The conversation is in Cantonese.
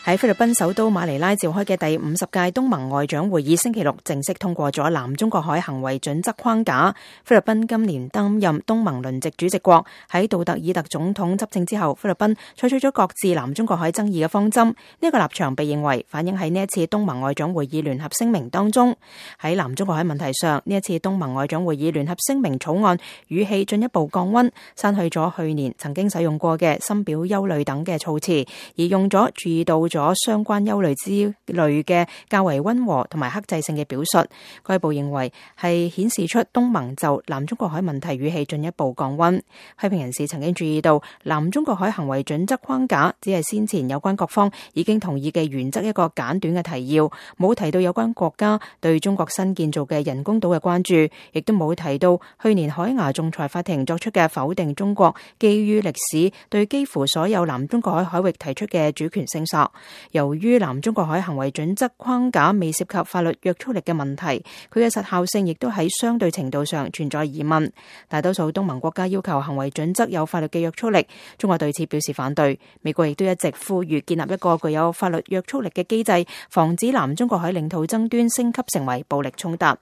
喺菲律賓首都馬尼拉召開嘅第50屆東盟外長會議星期六正式通過咗南中國海行為準則框架。菲律賓今年擔任東盟輪值主席國，喺杜特爾特總統執政之後，菲律賓採取咗擱置南中國海爭議嘅方針。呢個立場被認為反映喺呢一次東盟外長會議聯合聲明當中。喺南中國海問題上，呢一次東盟外長會議聯合聲明草案語氣進一步降溫，刪去咗去年曾經使用過嘅深表憂慮等嘅措辭，而用咗注意到咗相關憂慮之類嘅較為溫和同埋克制性嘅表述。該報認為係顯示出東盟就南中國海問題語氣進一步降溫。批評人士曾經注意到，南中國海行為準則框架只係先前有關各方已經同意嘅原則一個簡短嘅提要，冇提到有關國家對中國新建造嘅人工島嘅關注，亦都冇提到去年海牙仲裁法庭作出嘅否定中國基於歷史對幾乎所有南中國海海域提出嘅主權聲索。由於南中國海行為準則框架未涉及法律約束力嘅問題，佢嘅實效性亦都喺相對程度上存在疑問。大多數東盟國家要求行為準則有法律嘅約束力，中國對此表示反對。美國亦都一直呼籲建立一個具有法律約束力嘅機制，防止南中國海領土爭端升級成為暴力衝突。